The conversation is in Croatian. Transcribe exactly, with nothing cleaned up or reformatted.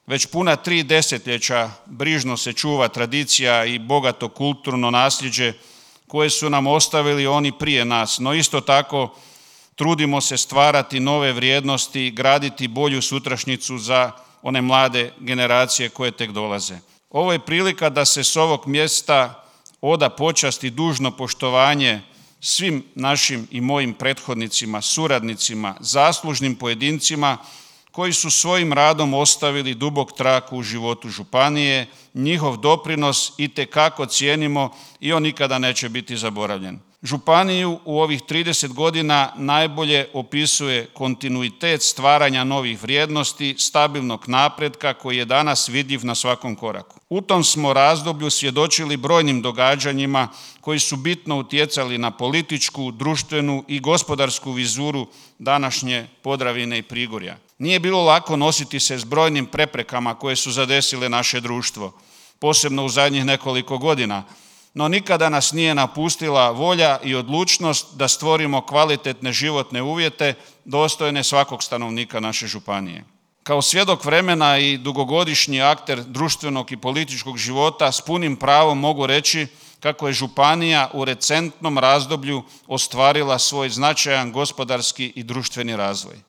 Već puna tri desetljeća brižno se čuva tradicija i bogato kulturno nasljeđe koje su nam ostavili oni prije nas, no isto tako trudimo se stvarati nove vrijednosti, graditi bolju sutrašnjicu za one mlade generacije koje tek dolaze. Ovo je prilika da se s ovog mjesta oda počast i dužno poštovanje svim našim i mojim prethodnicima, suradnicima, zaslužnim pojedincima koji su svojim radom ostavili dubok trag u životu županije. Njihov doprinos itekako cijenimo i on nikada neće biti zaboravljen. Županiju u ovih trideset godina najbolje opisuje kontinuitet stvaranja novih vrijednosti, stabilnog napretka koji je danas vidljiv na svakom koraku. U tom smo razdoblju svjedočili brojnim događanjima koji su bitno utjecali na političku, društvenu i gospodarsku vizuru današnje Podravine i Prigorja. Nije bilo lako nositi se s brojnim preprekama koje su zadesile naše društvo, posebno u zadnjih nekoliko godina, no nikada nas nije napustila volja i odlučnost da stvorimo kvalitetne životne uvjete dostojne svakog stanovnika naše županije. Kao svjedok vremena i dugogodišnji akter društvenog i političkog života s punim pravom mogu reći kako je županija u recentnom razdoblju ostvarila svoj značajan gospodarski i društveni razvoj.